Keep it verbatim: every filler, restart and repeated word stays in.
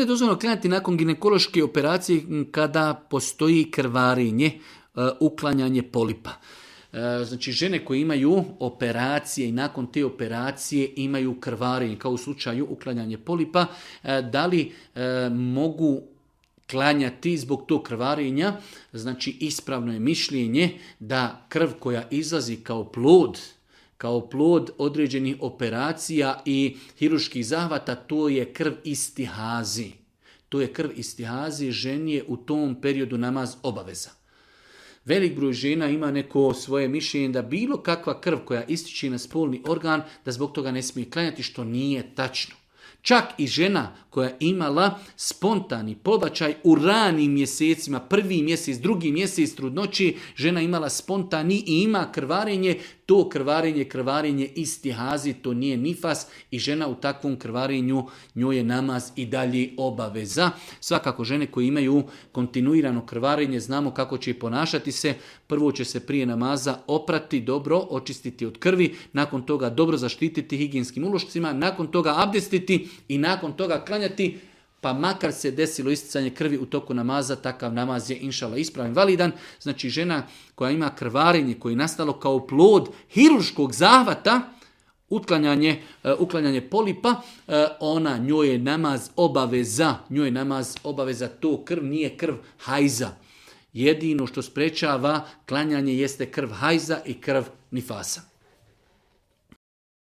dozvoljeno klanjati nakon ginekološke operacije kada postoji krvarenje, uklanjanje polipa. Znači žene koje imaju operacije i nakon te operacije imaju krvarenje, kao u slučaju uklanjanje polipa, da li mogu klanjati zbog tog krvarenja? Znači ispravno je mišljenje da krv koja izlazi kao plod, kao plod određenih operacija i hirurških zahvata, to je krv istihazi. To je krv istihazi, ženi je u tom periodu namaz obaveza. Velik broj žena ima neko svoje mišljenje da bilo kakva krv koja ističe na spolni organ, da zbog toga ne smije klanjati, što nije tačno. Čak i žena koja je imala spontani pobačaj u ranim mjesecima, prvi mjesec, drugi mjesec trudnoći, žena imala spontani i ima krvarenje, to krvarenje, krvarenje istihazi, to nije nifas i žena u takvom krvarenju, njoj je namaz i dalje obaveza. Svakako žene koje imaju kontinuirano krvarenje, znamo kako će ponašati se. Prvo će se prije namaza oprati dobro, očistiti od krvi, nakon toga dobro zaštititi higijenskim ulošcima, nakon toga abdestiti i nakon toga klanjati, pa makar se desilo isticanje krvi u toku namaza, takav namaz je inšala ispravan, validan. Znači žena koja ima krvarenje koje je nastalo kao plod hirurškog zahvata, uklanjanje, uklanjanje polipa, ona, njoj je namaz obaveza, njoj je namaz obaveza, to krv nije krv hajza. Jedino što sprečava klanjanje jeste krv hajza i krv nifasa.